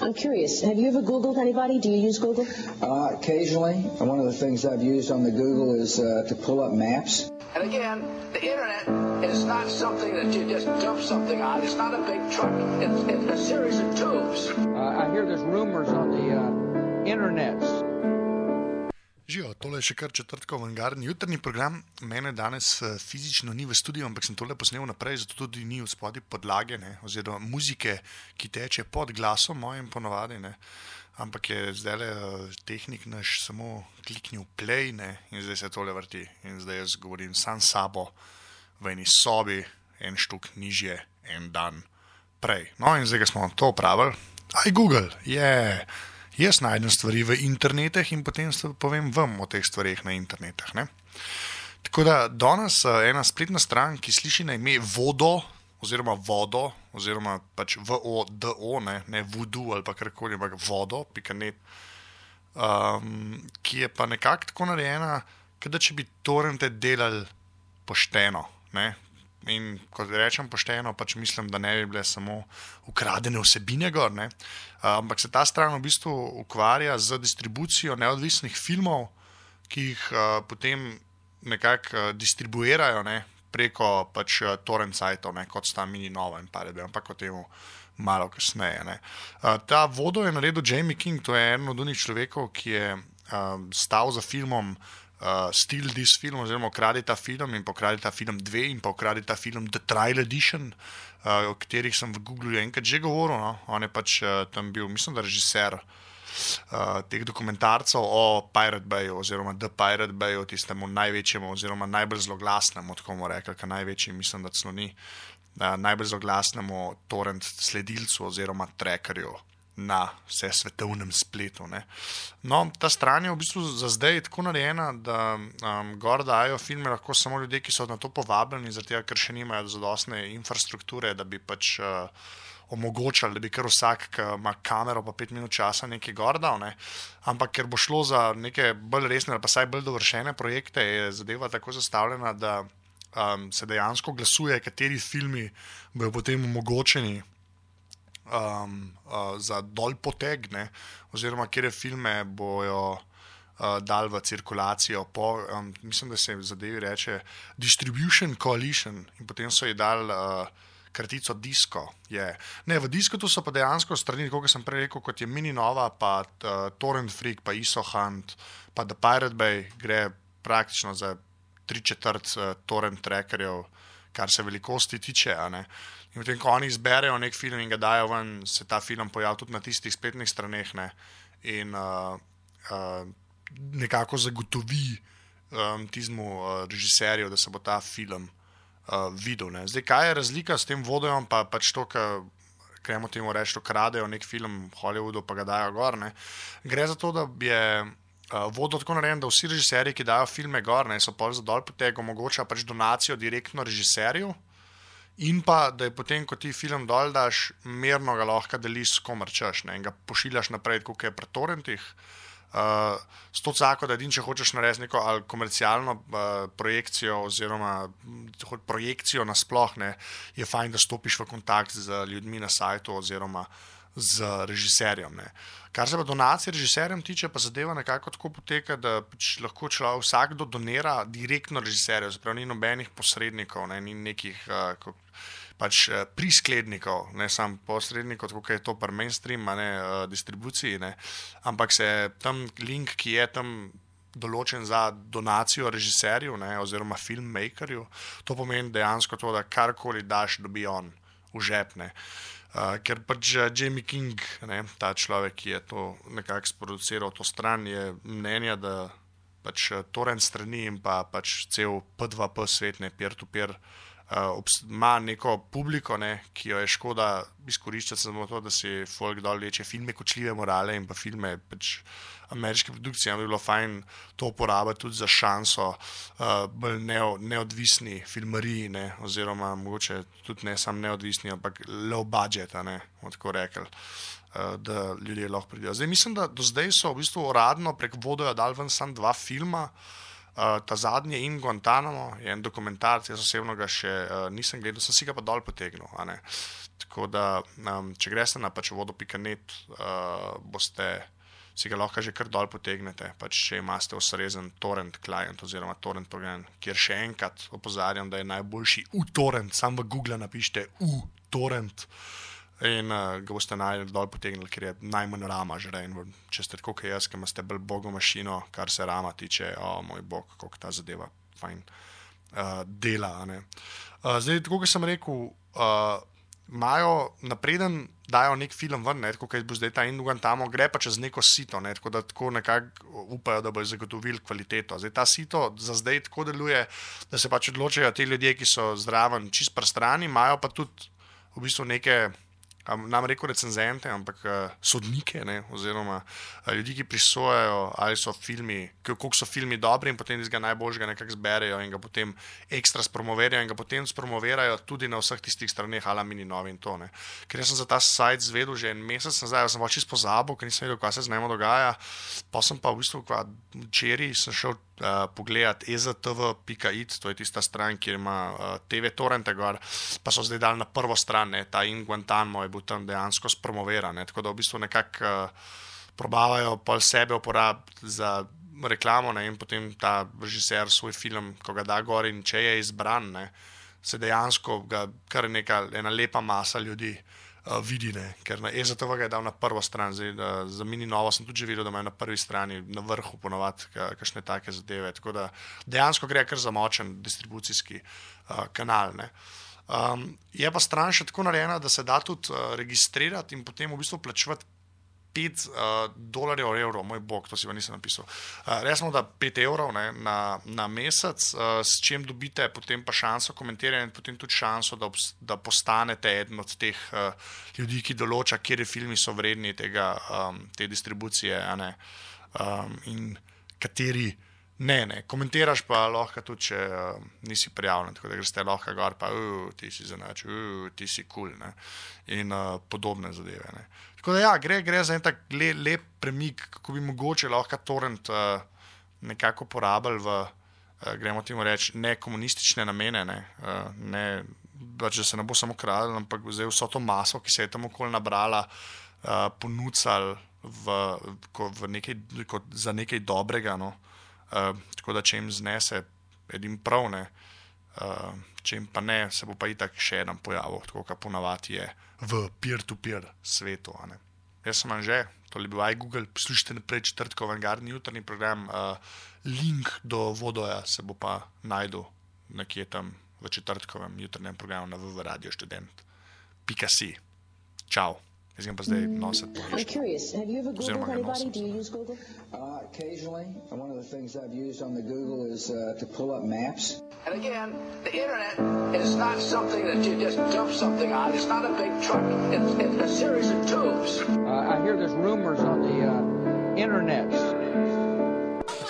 I'm curious. Have you ever Googled anybody? Do you use Google? Occasionally. One of the things I've used on the Google is to pull up maps. And again, the internet is not something that you just dump something on. It's not a big truck. It's a series of tubes. I hear there's rumors on the internets. Živijo, tole je še kar četrtkov avangardni jutrni program. Mene danes fizično ni v studiu, ampak sem tole posnel naprej, zato tudi ni v spodaj podlage, ne, oziroma muzike, ki teče pod glasom mojim ponovadi, ne. Ampak je zdaj tehnik naš samo kliknil play, ne, in zdaj se tole vrti. In zdaj jaz govorim sam sabo v eni sobi, en štuk nižje, en dan prej. No, in zdaj, ko smo to opravili, Google, jaz najdem stvari v internetih in potem povem vam o teh stvarih na internetih, ne. Tako da danes ena spletna stran, ki sliši na ime vodo, oziroma pač VODO, ne voodoo ali pa karkoli, ampak vodo.net, ki je pa nekako tako narejena, kada če bi torrente delali pošteno, ne. In ko rečem pošteno, pač mislim, da ne bi bile samo ukradene vsebine gor, ne. Ampak se ta stran v bistvu ukvarja z distribucijo neodvisnih filmov, ki jih potem nekako distribuirajo, ne, preko pač torrent sajtov, ne, kot sta Mini Nova in Pirate Bay, ampak o temu malo kasneje, ne. Ta vodo je naredil Jamie King, to je eden od onih človekov, ki je stal za filmom Steal This Film, oziroma Ukradi ta film in Pokradi ta film 2 in pa Ukradi ta film The Trial Edition, o katerih sem v Googlu enkrat že govoril, no. On je pač tam bil, mislim, da režiser teh dokumentarcev o Pirate Bayu oziroma The Pirate Bayu, tistemu največjemu oziroma najbolj zloglasnemu, tako bomo rekli, ker največji mislim, da celo ni, najbolj zloglasnemu torrent sledilcu oziroma trackerju na vse svetovnem spletu, ne. No, ta stran je v bistvu za zdaj tako narejena, da gor dajo filme lahko samo ljudje, ki so na to povabljeni, zaradi tega, ker še nimajo zadostne infrastrukture, da bi pač omogočali, da bi kar vsak, ki ima kamero pa 5 minut časa nekaj gor dal, ne. Ampak ker bo šlo za neke bolj resne ali pa saj bolj dovršene projekte, je zadeva tako zastavljena, da se dejansko glasuje, kateri filmi bojo potem omogočeni za dol poteg, ne, oziroma katere filme bojo dal v cirkulacijo po, mislim, da se v zadevi reče Distribution Coalition, in potem so ji dal kratico Disco. Ne, v Discotu so pa dejansko strani, kot sem prej rekel, kot je Mini Nova, pa Torrent Freak, pa ISO Hunt, pa The Pirate Bay, gre praktično za 3/4 torrent trackerjev, kar se velikosti tiče, a ne. In potem, ko oni izberejo nek film in ga dajo ven, se ta film pojavi tudi na tistih spletnih straneh, ne, in nekako zagotovi tizmu režiserju, da se bo ta film videl, ne. Zdaj, kaj je razlika s tem vodojom, pa pač to, gremo temu reči, to kradejo nek film v Hollywoodu, pa ga dajo gor, ne. Gre za to, da je vodo tako narejen, da vsi režiserji, ki dajo filme gor, ne, so pol za dol poteg, omogoča pač donacijo direktno režiserju, in pa, da je potem, ko ti film dol daš, merno ga lahko deliš s komer češ, ne, in ga pošiljaš naprej, tako je pri torrentih. S to cako, da če hočeš narediti neko ali komercialno projekcijo oziroma projekcijo nasploh, ne, je fajn, da stopiš v kontakt z ljudmi na sajtu oziroma z režiserjem, ne. Kar se pa donacije režiserjem tiče, pa zadeva nekako tako poteka, da pač lahko vsakdo donira direktno režiserju, zaprav ni nobenih posrednikov, ne, ni nekih pač prisklednikov, ne samo posrednikov, tako je to pri mainstream, ne, distribuciji, ne, ampak se tam link, ki je tam določen za donacijo režiserju, ne, oziroma filmmakerju, to pomeni dejansko to, da karkoli daš, dobi on v žep, ne. Ker pač Jamie King, ne, ta človek, ki je to nekako sproduciral to stran, je mnenja, da pač torrent strani in pa pač cel P2P svet, ne, peer-to-peer, ima neko publiko, ne, ki jo je škoda izkoriščati samo to, da si folk dol leče filme kočljive morale in pa filme pač ameriške produkcije, bi bilo fajn to uporabiti tudi za šanso bolj neodvisni filmariji, ne, oziroma mogoče tudi ne sam neodvisni, ampak low budget, ne, bomo tako rekli, da ljudje lahko pridejo. Zdaj mislim, da do zdaj so v bistvu uradno prek vodoja dali ven samo 2 filma, Ta zadnji In Guantanamo je en dokumentarc, jaz osebno ga še nisem gledal, sem si ga pa dol potegnil. Tako da, če greste na pač vodo.net, si ga lahko že kar dol potegnete, pač če imate ustrezen torrent client oziroma torrent program, kjer še enkrat opozarjam, da je najboljši uTorrent, sam v Google napišite uTorrent in ga boste dol potegnili, ker je najmanj rama žren. Če ste tako kot jaz, ki imate bolj bogo mašino, kar se rama tiče, moj bog, koliko ta zadeva fajn dela. Zdaj, tako kot sem rekel, imajo napreden, dajo nek film ven, tako kot bo zdaj ta In Guantanamo, gre pa čez neko sito, tako da tako nekako upajo, da bojo zagotovili kvaliteto. Zdaj ta sito za zdaj tako deluje, da se pač odločajo ti ljudje, ki so zraven čist prstrani, imajo pa tudi v bistvu neke, nam rekel recenzente, ampak sodnike, oziroma ljudi, ki prisojajo, ali so filmi, koliko so filmi dobri in potem iz ga najboljšega nekako zberejo in ga potem ekstra spromoverajo in ga potem spromoverajo tudi na vseh tistih straneh, ala Mini Novi in to. Ker jaz sem za ta sajt zvedel že en mesec nazaj, sem pa čisto pozabil, ker nisem vedel, kaj se z njemu dogaja, pa sem pa v bistvu včeraj sem šel pogledat eztv.it, to je tista stran, kjer ima TV torrente gor, pa so zdaj dali na prvo stran, ta In Guantanamo je bil tam dejansko spromoveran, tako da v bistvu nekako probavajo pol sebe uporabiti za reklamo, in potem ta režiser svoj film, ko ga da gor in če je izbran, se dejansko ga kar ena lepa masa ljudi vidi, ker na EZTV ga je dal na prvo stran. Zdaj, za Mini Novo sem tudi že videl, da imajo na prvi strani na vrhu ponovati kakšne take zadeve, tako da dejansko gre kar za močen distribucijski kanal. Je pa stran še tako narejena, da se da tudi registrirati in potem v bistvu plačevati $5 evrov, moj bog, to si pa nisem napisal. Resmo, da 5 evrov na mesec, s čim dobite potem pa šanso komentiranja in potem tudi šanso, da postanete eden od teh ljudi, ki določa, kjer filmi so vredni te distribucije, in kateri ne. Komentiraš pa lahko tudi, če nisi prijavljen, tako da greste lahko gor, pa ti si zanač, ti si cool, in podobne zadeve. Tako da gre za en tak lep premik, kako bi mogoče lahko torrent nekako porabili v, gremo temu reči, ne komunistične namene, pač da se ne bo samo kradlo, ampak zdaj vso to maso, ki se je tam okoli nabrala, ponucali za nekaj dobrega, tako da če jim znese, edim prav, če jim pa ne, se bo pa itak še eden pojavil, tako kot ponavadi je v peer-to-peer svetu. Jaz sem Anže, to je bil iGoogle, poslušajte naprej četrtkov avangardni jutrni program, link do Vodoja se bo pa najdel nekje tam v četrtkovem jutrnjem programu na www.radiostudent.si. Čau. Jaz ga pa zdaj nositi po I'm curious, have you ever Googled anybody? Do you use Google? Occasionally. One of the things I've used on the Google is to pull up maps. And again, the internet is not something that you just dump something on. It's not a big truck. It's a series of tubes. I hear there's rumors on the internet